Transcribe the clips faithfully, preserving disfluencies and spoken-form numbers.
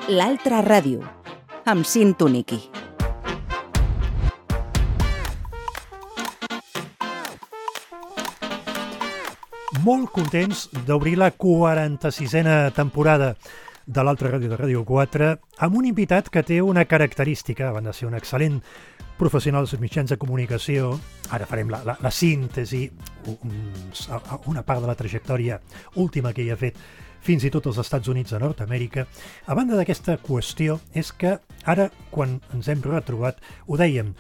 L'altra ràdio, amb Sintoniqui. Molt contents d'obrir la quaranta-sisena temporada de l'altra ràdio de Ràdio quatre amb un invitat que té una característica, a banda de ser un excel·lent professional dels mitjans de comunicació. Ara farem la, la, la síntesi, una part de la trajectòria última que hi ha fet fins i tot als Estats Units de Nord-Amèrica. A banda d'aquesta qüestió, és que ara, quan ens hem retrobat, ho dèiem,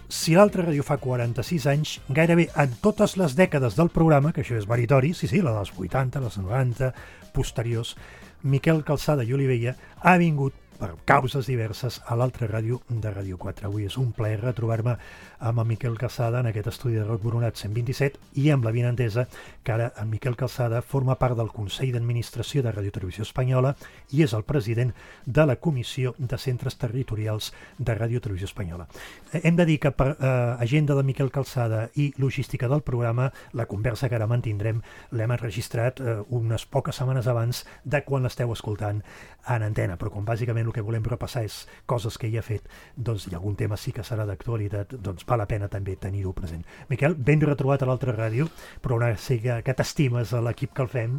si l'altra ràdio fa quaranta-sis anys, gairebé en totes les dècades del programa, que això és meritori, sí, sí, la dels vuitanta, les noranta, posteriors, Miquel Calçada i Olivella ha vingut per causes diverses a l'altra ràdio de Ràdio quatre. Avui és un plaer retrobar-me amb en Miquel Calçada en aquest estudi de Roc Boronat cent vint-i-set i amb la vinentesa que ara en Miquel Calçada forma part del Consell d'Administració de Ràdio Televisió Espanyola i és el president de la Comissió de Centres Territorials de Ràdio Televisió Espanyola. Hem de dir que per eh, agenda de Miquel Calçada i logística del programa, la conversa que ara mantindrem l'hem enregistrat eh, unes poques setmanes abans de quan l'esteu escoltant en antena, però com bàsicament el que volem repassar és coses que hi ha fet, doncs hi ha algun tema sí que serà d'actualitat, doncs val la pena també tenir-ho present. Miquel, ben retrobat a l'altra ràdio, però una siga que t'estimes a l'equip que el fem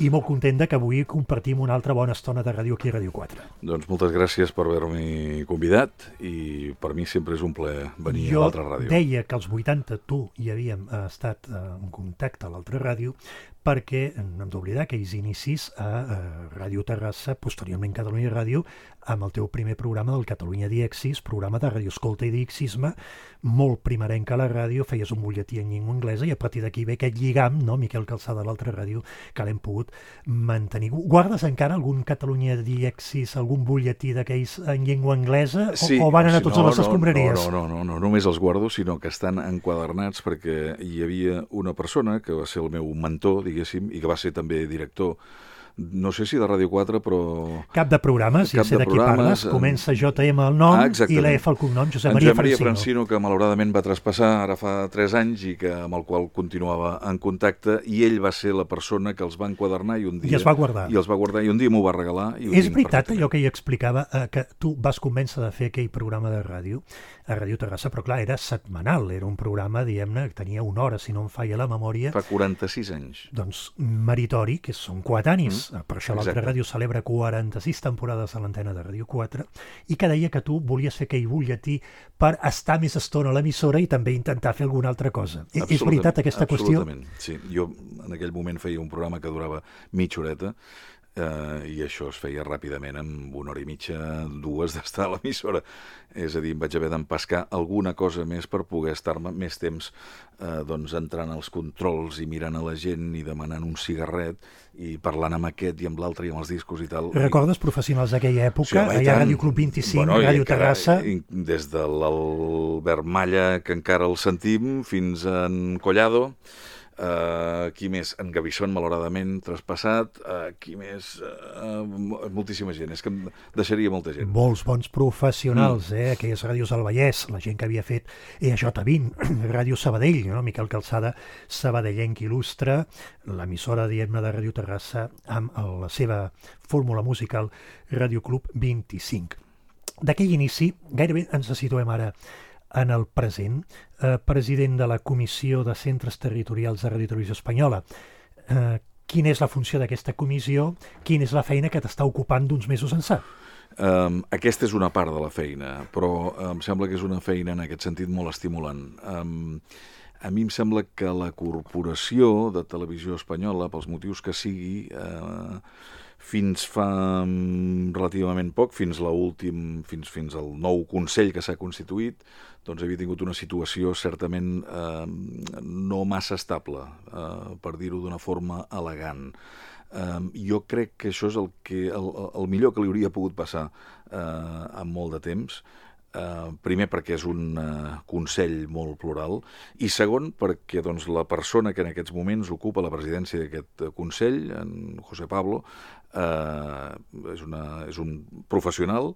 i molt content que avui compartim una altra bona estona de ràdio aquí a Ràdio quatre. Doncs moltes gràcies per haver-m'hi convidat i per mi sempre és un plaer venir jo a l'altra ràdio. Jo deia que als vuitanta tu hi havíem estat en contacte a l'altra ràdio perquè no hem d'oblidar aquells inicis a, a Ràdio Terrassa, posteriorment Catalunya Ràdio, amb el teu primer programa del Catalunya Diexis, programa de radioescolta i diexisme, molt primerenc a la ràdio, feies un butlletí en llengua anglesa i a partir d'aquí ve aquest lligam, no, Miquel Calçada de l'altra ràdio, que l'hem pogut mantenir. Guardes encara algun Catalunya Diexis, algun butlletí d'aquells en llengua anglesa sí, o, o van anar sí, tots no, a les escombraries? No, no, no, no, no, només els guardo, sinó que estan enquadernats perquè hi havia una persona que va ser el meu mentor, diguéssim, i que va ser també director, no sé si de Ràdio quatre, però... Cap de programes, ja sé de qui parles, comença J M el nom ah, i la F el cognom, Josep Maria Josep Maria Francino. Francino, que malauradament va traspassar ara fa tres anys i que amb el qual continuava en contacte, i ell va ser la persona que els va enquadernar i un dia... I els va guardar. I els va guardar, i un dia m'ho va regalar. I és veritat allò que ell explicava, eh, que tu vas convèncer de fer aquell programa de ràdio, a Ràdio Terrassa, però clar, era setmanal, era un programa, diguem-ne, que tenia una hora, si no em falla la memòria. Fa quaranta-sis anys. Doncs meritori, que són coetanis, mm, per això l'altra ràdio celebra quaranta-sis temporades a l'antena de Ràdio quatre, i que deia que tu volies fer aquell butlletí per estar més estona a l'emissora i també intentar fer alguna altra cosa. És veritat aquesta qüestió? Absolutament, sí. Jo en aquell moment feia un programa que durava mitja horeta, Uh, i això es feia ràpidament, amb una hora i mitja, dues d'estar a l'emissora. És a dir, em vaig haver d'empescar alguna cosa més per poder estar-me més temps uh, doncs, entrant als controls i mirant a la gent i demanant un cigarret i parlant amb aquest i amb l'altre i amb els discos i tal. Recordes professionals d'aquella època? Sí, home, allà a Ràdio Club vint-i-cinc, bueno, Ràdio Terrassa... Des de l'Albert Malla, que encara el sentim, fins a en Collado... Uh, qui més? En Gavison, malauradament, traspassat. Uh, qui més? Uh, moltíssima gent. És que em deixaria molta gent. Molts bons professionals, mm. eh? Aquelles ràdios del Vallès, la gent que havia fet E A J vint, Ràdio Sabadell, no? Miquel Calçada, sabadellenc il·lustre, l'emissora, diguem-ne, de Ràdio Terrassa, amb la seva fórmula musical Ràdio Club vint-i-cinc. D'aquell inici, gairebé ens situem ara en el present, eh, president de la Comissió de Centres Territorials de Ràdio Televisió Espanyola. Eh, quina és la funció d'aquesta comissió? Quina és la feina que t'està ocupant d'uns mesos ençà? Um, aquesta és una part de la feina, però em sembla que és una feina en aquest sentit molt estimulant. Um, a mi em sembla que la Corporació de Televisió Espanyola, pels motius que sigui, eh, fins fa relativament poc, fins la últim, fins, fins al nou Consell que s'ha constituït, doncs havia tingut una situació certament eh, no massa estable, eh, per dir-ho d'una forma elegant. Eh, jo crec que això és el, que, el, el millor que li hauria pogut passar eh, en molt de temps. Uh, primer perquè és un uh, Consell molt plural i segon perquè doncs, la persona que en aquests moments ocupa la presidència d'aquest uh, Consell, en José Pablo, uh, és, una, és un professional,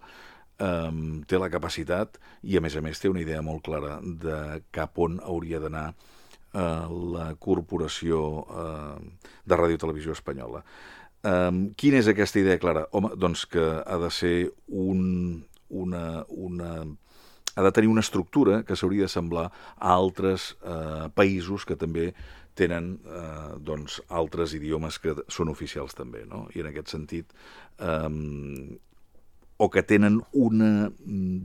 um, té la capacitat i a més a més té una idea molt clara de cap on hauria d'anar uh, la Corporació uh, de Ràdio Televisió Espanyola. Um, quina és aquesta idea clara? Home, doncs que ha de ser un, una, una... ha de tenir una estructura que s'hauria de semblar a altres eh, països que també tenen eh, doncs, altres idiomes que són oficials també, no? I en aquest sentit, eh, o que tenen una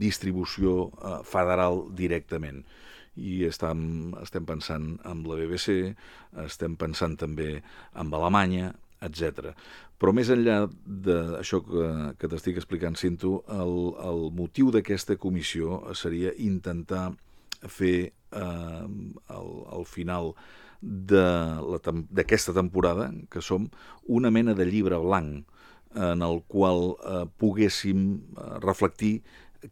distribució eh, federal directament. I estem, estem pensant en la B B C, estem pensant també en Alemanya, etcètera. Però més enllà d'això que, que t'estic explicant, Cinto, el, el motiu d'aquesta comissió seria intentar fer eh, al, al final d'aquesta temporada, que som, una mena de llibre blanc en el qual eh, poguéssim eh, reflectir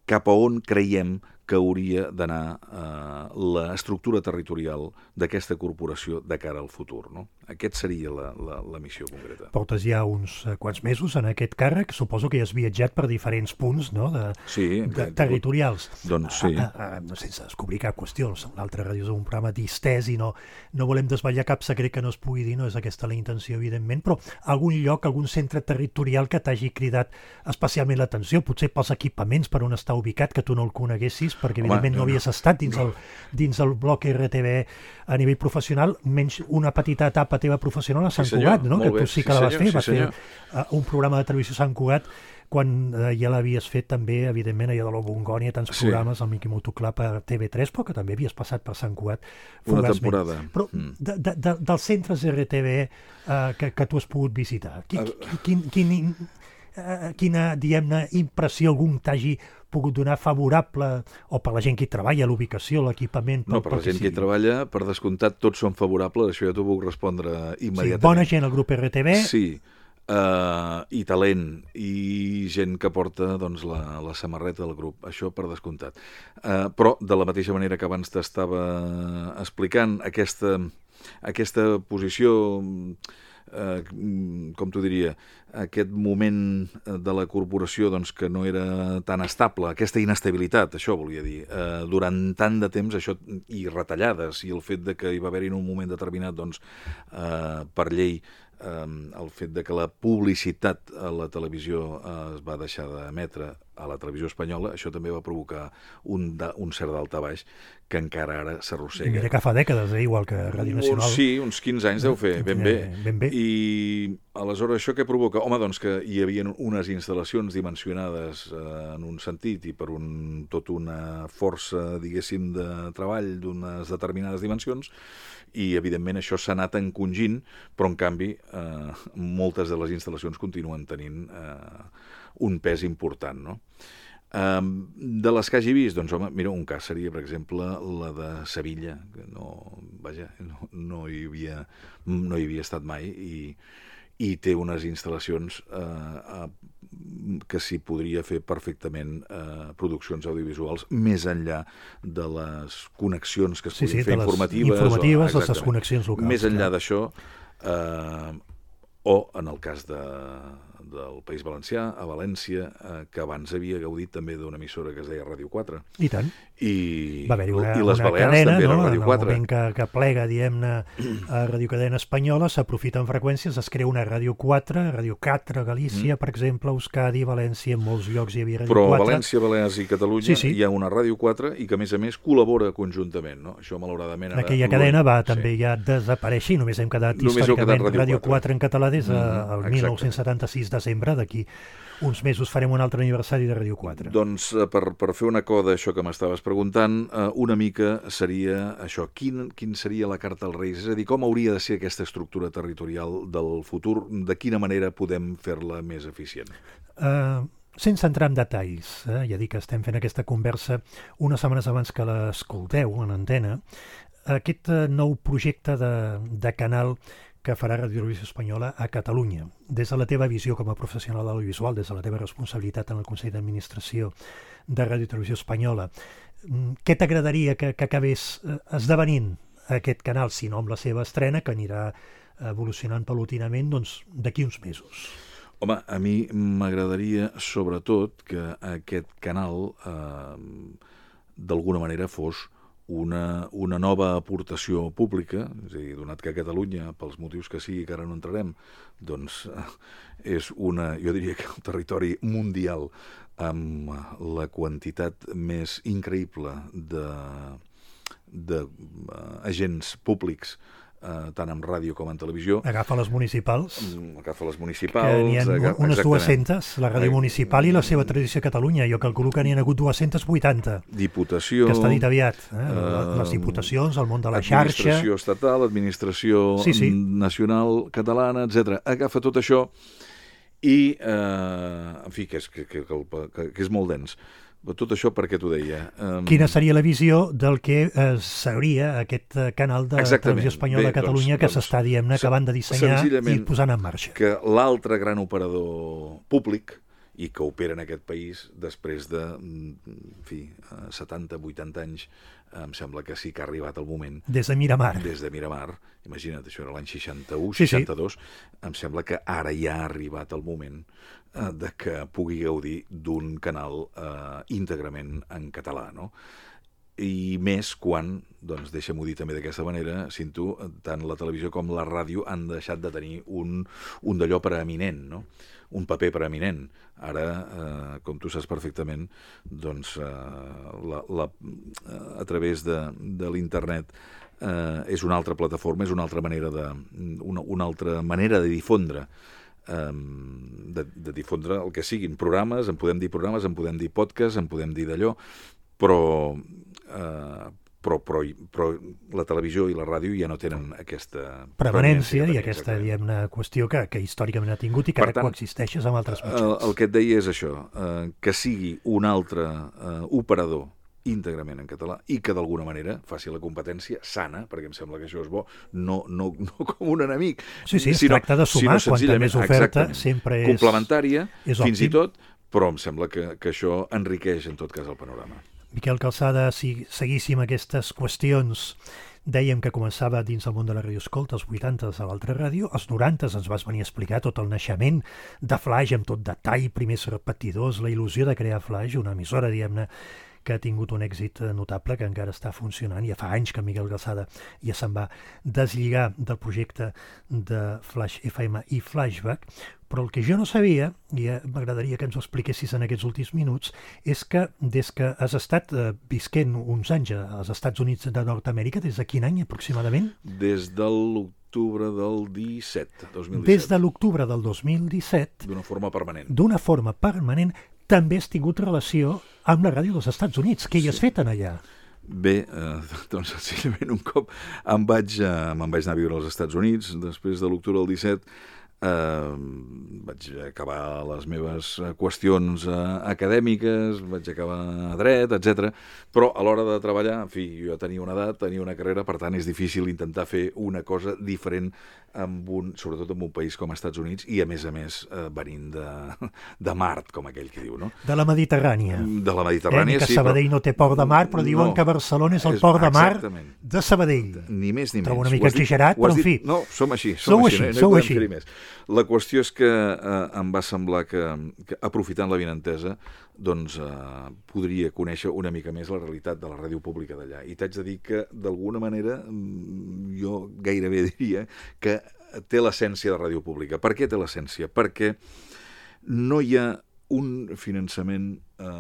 cap a on creiem que hauria d'anar eh, l'estructura territorial d'aquesta corporació de cara al futur, no? Aquest seria la, la, la missió concreta. Portes ja uns eh, quants mesos en aquest càrrec, suposo que ja has viatjat per diferents punts, no?, de, sí, de territorials. Doncs sí. A, a, a, sense descobrir cap qüestió, l'altre ràdio és un programa distès i no, no volem desvetllar cap secret que no es pugui dir, no és aquesta la intenció, evidentment, però algun lloc, algun centre territorial que t'hagi cridat especialment l'atenció, potser pels equipaments per on està ubicat, que tu no el coneguessis, perquè evidentment Home, no, no havies estat dins el, dins el bloc R T V a nivell professional, menys una petita etapa teva professional a Sant sí, Cugat, no? Que bé. tu sí que sí, la vas senyor, fer, sí, vas senyor. fer uh, un programa de televisió a Sant Cugat quan uh, ja l'havies fet també, evidentment, allà de la Bongònia, tants Sí. programes, el Miqui Motoclub a T V tres, però que també havies passat per Sant Cugat Una fugaçment. temporada. Però Mm. de, de, de, dels centres R T V uh, que, que tu has pogut visitar, qui, quin, quin, quin, uh, quina, diguem-ne, impressió algun t'hagi pogut donar favorable, o per la gent que hi treballa, l'ubicació, l'equipament... No, per la gent que hi treballa, per descomptat, tots són favorables, això ja t'ho puc respondre immediatament. Sí, bona gent al grup R T V. Sí, uh, i talent, i gent que porta doncs, la, la samarreta del grup, això per descomptat. Uh, però, de la mateixa manera que abans t'estava explicant, aquesta, aquesta posició... Eh, com t'ho diria, aquest moment de la corporació doncs, que no era tan estable, aquesta inestabilitat, això volia dir, eh, durant tant de temps, això i retallades, i el fet de que hi va haver-hi en un moment determinat, doncs, eh, per llei, eh, el fet de que la publicitat a la televisió eh, es va deixar d'emetre a la televisió espanyola, això també va provocar un, da, un cert daltabaix que encara ara s'arrossega. Mira que fa dècades, eh? Igual que Ràdio Nacional. Sí, uns quinze anys deu fer, ben bé. Ben bé. I aleshores això què provoca? Home, doncs que hi havia unes instal·lacions dimensionades eh, en un sentit i per un, tot una força, diguéssim, de treball d'unes determinades dimensions, i evidentment això s'ha anat encongint, però en canvi eh, moltes de les instal·lacions continuen tenint eh, un pes important, no? Um, de les que hagi vist, doncs home, mira, un cas seria, per exemple, la de Sevilla, que no, vaja, no, no, hi havia, no hi havia estat mai, i, i té unes instal·lacions eh, eh, que s'hi podria fer perfectament eh, produccions audiovisuals, més enllà de les connexions que es sí, podien sí, fer informatives, informatives, informatives o, les connexions locals. Més enllà clar. d'això, eh, o en el cas de, del País Valencià, a València, eh, que abans havia gaudit també d'una emissora que es deia Ràdio quatre. I tant. I, Va haver-hi una, i les una Balears cadena, també no? era Ràdio quatre. En el moment que, que plega, diguem-ne, a Ràdio Cadena Espanyola, s'aprofiten freqüències, es crea una Ràdio quatre, Ràdio quatre Galícia, mm. per exemple, Euskadi, València, en molts llocs hi havia Ràdio Però quatre. Però a València, Balears i Catalunya sí, sí. hi ha una Ràdio quatre i que, a més a més, col·labora conjuntament, no? Això, malauradament... Ara, aquella cadena va sí. també ja desaparèixer i només hem quedat només històricament quedat Ràdio quatre en català des del mm, mil nou-cents setanta-sis desembre, d'aquí uns mesos farem un altre aniversari de Ràdio quatre. Doncs per, per fer una coda, això que m'estaves preguntant, eh, una mica seria això, quin, quin seria la carta als Reis? És a dir, com hauria de ser aquesta estructura territorial del futur? De quina manera podem fer-la més eficient? Uh, sense entrar en detalls, eh, ja dic que estem fent aquesta conversa unes setmanes abans que l'escolteu en antena, aquest uh, nou projecte de, de canal que farà Ràdio Televisió Espanyola a Catalunya. Des de la teva visió com a professional de l'audiovisual, des de la teva responsabilitat en el Consell d'Administració de Ràdio Televisió Espanyola, què t'agradaria que, que acabés esdevenint aquest canal, si no amb la seva estrena, que anirà evolucionant paulatinament, doncs, d'aquí uns mesos? Home, a mi m'agradaria, sobretot, que aquest canal, eh, d'alguna manera, fos una, una nova aportació pública, és a dir, donat que Catalunya, pels motius que sigui, que ara no entrarem, doncs és una, jo diria que un territori mundial amb la quantitat més increïble de, de uh, agents públics, Uh, tant en ràdio com en televisió. Agafa les municipals. Mm, agafa les municipals. Que n'hi ha agafa, unes exactament. dues-centes, la ràdio municipal i la seva tradició a Catalunya. Jo calculo que n'hi ha hagut dues-centes vuitanta. Diputació. Que està dit aviat. Eh? Uh, les diputacions, el món de la xarxa. Administració estatal, administració sí, sí. nacional catalana, etcètera. Agafa tot això i, uh, en fi, que és, que, que, que, que és molt dens. Tot això per què t'ho deia? Um... Quina seria la visió del que eh, seria aquest canal de Exactament. Televisió Espanyola a Catalunya doncs, que doncs, s'està, diguem-ne, acabant de dissenyar i posant en marxa? Que l'altre gran operador públic i que opera en aquest país després de, en fi, setanta, vuitanta anys, em sembla que sí que ha arribat el moment. Des de Miramar. Des de Miramar. Imagina't, això era l'any seixanta-u, sí, seixanta-dos. Sí. Em sembla que ara ja ha arribat el moment eh, de que pugui gaudir d'un canal eh, íntegrament en català, no? I més quan, doncs deixa'm-ho dir també d'aquesta manera, Cinto, tant la televisió com la ràdio han deixat de tenir un, un d'allò preeminent, no? Un paper preeminent. Ara, eh, com tu saps perfectament, doncs eh, la, la, a través de, de l'internet eh, és una altra plataforma, és una altra manera de, una, una altra manera de difondre eh, de, de difondre el que siguin programes, en podem dir programes, en podem dir podcast, en podem dir d'allò, però eh, Però, però, però la televisió i la ràdio ja no tenen aquesta permanència i aquesta, diguem-ne, qüestió que, que històricament ha tingut i que ara coexisteixes amb altres mitjans. El, el que et deia és això, eh, que sigui un altre eh, operador íntegrament en català i que d'alguna manera faci la competència sana, perquè em sembla que això és bo, no, no, no com un enemic. Sí, sí, es sinó, tracta de sumar, quanta més oferta sempre és complementària, és fins i tot, però em sembla que, que això enriqueix en tot cas el panorama. Miquel Calçada, si seguíssim aquestes qüestions, dèiem que començava dins el món de la radioescolta, als vuitantes a l'altra ràdio, als norantes ens vas venir a explicar tot el naixement de Flaix amb tot detall, primers repetidors, la il·lusió de crear Flaix, una emissora, diguem-ne, que ha tingut un èxit notable, que encara està funcionant. Ja fa anys que Miquel Calçada ja se'n va deslligar del projecte de Flaix F M i Flashback, però el que jo no sabia, i m'agradaria que ens ho expliquessis en aquests últims minuts, és que des que has estat eh, visquent uns anys als Estats Units de Nord-Amèrica, des de quin any aproximadament? Des de l'octubre del disset, dos mil disset. Des de l'octubre del dos mil disset. D'una forma permanent. D'una forma permanent, també has tingut relació amb la ràdio dels Estats Units. Què hi has sí. fet en allà? Bé, eh, doncs senzillament un cop em vaig, eh, me'n vaig anar a viure als Estats Units, després de l'octubre del disset, eh, vaig acabar les meves qüestions eh, acadèmiques, vaig acabar a dret, etcètera. Però a l'hora de treballar, en fi, jo tenia una edat, tenia una carrera, per tant és difícil intentar fer una cosa diferent amb un, sobretot en un país com els Estats Units i a més a més eh, venint de, de Mart, com aquell que diu, no? De la Mediterrània. De la Mediterrània, eh, que sí. Que Sabadell però... no té port de mar, però diuen no, que Barcelona és el és, port de mar exactament. De Sabadell. Ni més ni menys. Trobo una mica exagerat, però en fi. No, som així, som sou així, així, no, sou no així. Més. La qüestió és que eh, em va semblar que, que aprofitant la vinentesa, doncs eh, podria conèixer una mica més la realitat de la ràdio pública d'allà. I t'haig de dir que, d'alguna manera, jo gairebé diria que té l'essència de ràdio pública. Per què té l'essència? Perquè no hi ha un finançament eh,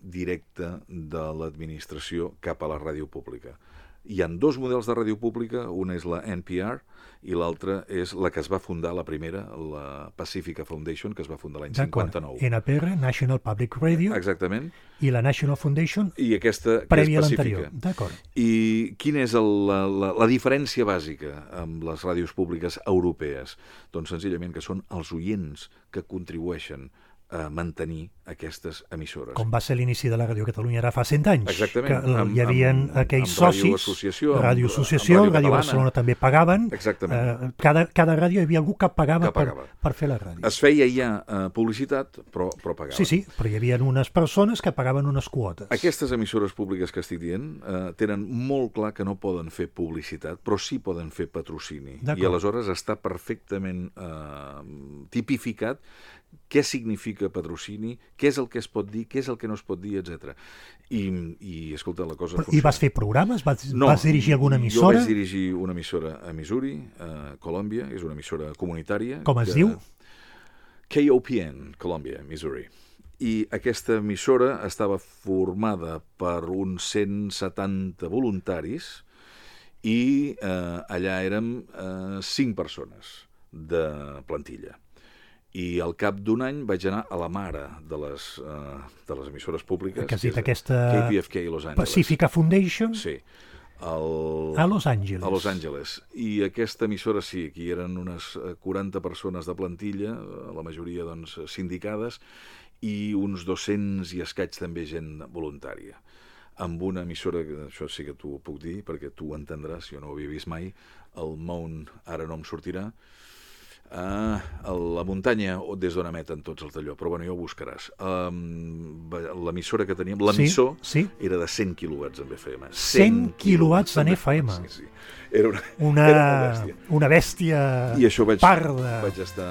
directe de l'administració cap a la ràdio pública. Hi ha dos models de ràdio pública, una és la N P R i l'altra és la que es va fundar, la primera, la Pacifica Foundation, que es va fundar l'any cinquanta-nou. N P R, National Public Radio. Exactament. I la National Foundation, i aquesta, que prèvia és a l'anterior. D'acord. I quina és el, la, la, la diferència bàsica amb les ràdios públiques europees? Doncs senzillament que són els oients que contribueixen a mantenir aquestes emissores. Com va ser l'inici de la Ràdio Catalunya ara fa cent anys. Exactament. Que amb, hi havia amb, aquells amb socis, Ràdio Associació, Ràdio Associació, amb, amb Ràdio Barcelona també pagaven. Exactament. Eh, cada, cada ràdio hi havia algú que pagava, que pagava. Per, per fer la ràdio. Es feia ja uh, publicitat, però, però pagaven. Sí, sí, però hi havia unes persones que pagaven unes quotes. Aquestes emissores públiques que estic dient uh, tenen molt clar que no poden fer publicitat, però sí poden fer patrocini. I aleshores està perfectament uh, tipificat què significa patrocini, què és el que es pot dir, què és el que no es pot dir, etcètera. I, i escolta, la cosa... I vas fer programes? Vas, no, vas dirigir alguna emissora? Jo vaig dirigir una emissora a Missouri, a Colòmbia, és una emissora comunitària. Com es que, diu? K O P N, Colòmbia, Missouri. I aquesta emissora estava formada per uns cent setanta voluntaris i eh, allà érem eh, cinc persones de plantilla. I al cap d'un any vaig anar a la mare de les, uh, de les emissores públiques, que que és aquesta K P F K Los Angeles. Pacifica Foundation? Sí. El... A Los Angeles. A Los Angeles. I aquesta emissora sí, aquí eren unes quaranta persones de plantilla, la majoria doncs, sindicades, i uns dos-cents i escaig també gent voluntària. Amb una emissora, això sí que t'ho puc dir, perquè tu ho entendràs, jo no ho havia vist mai, el Mount ara no em sortirà, Uh, la muntanya des d'on emeten tots els d'allò, però bueno, ja ho buscaràs. Um, l'emissora que teníem, l'emissor, sí, sí. era de cent quilowatts en F M. cent quilowatts en F M? Sí, sí. Era una, una, era una bèstia. Una bèstia I això vaig, parda. Vaig estar,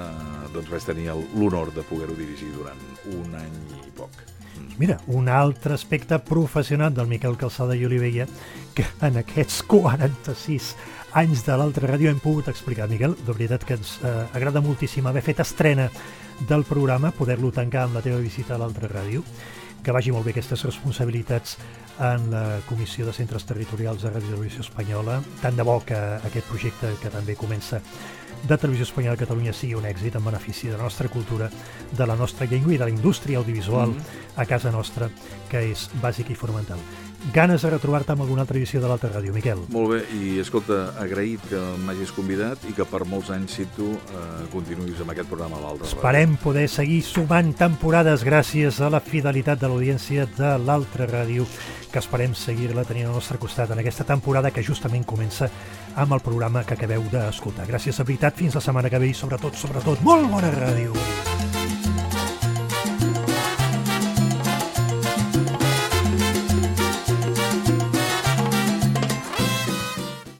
doncs vaig tenir l'honor de poder-ho dirigir durant un any i poc. Mira, un altre aspecte professional del Miquel Calçada i Olivella que en aquests quaranta-sis anys de l'altra ràdio hem pogut explicar. Miquel, de veritat que ens eh, agrada moltíssim haver fet estrena del programa, poder-lo tancar amb la teva visita a l'altra ràdio, que vagi molt bé aquestes responsabilitats en la Comissió de Centres Territorials de Ràdio i Televisió Espanyola. Tant de bo que aquest projecte que també comença de Televisió Espanyola a Catalunya sigui un èxit en benefici de la nostra cultura, de la nostra llengua i de la indústria audiovisual mm-hmm. a casa nostra, que és bàsic i fonamental. Ganes de retrobar-te amb alguna altra edició de l'altra ràdio, Miquel. Molt bé, i escolta, agraït que m'hagis convidat i que per molts anys, si tu, eh, continuïs amb aquest programa a l'altra ràdio. Esperem poder seguir sumant temporades gràcies a la fidelitat de l'audiència de l'altra ràdio, que esperem seguir-la tenint al nostre costat en aquesta temporada que justament comença amb el programa que acabeu d'escoltar. Gràcies, de veritat, fins la setmana que ve i sobretot, sobretot, molt bona ràdio!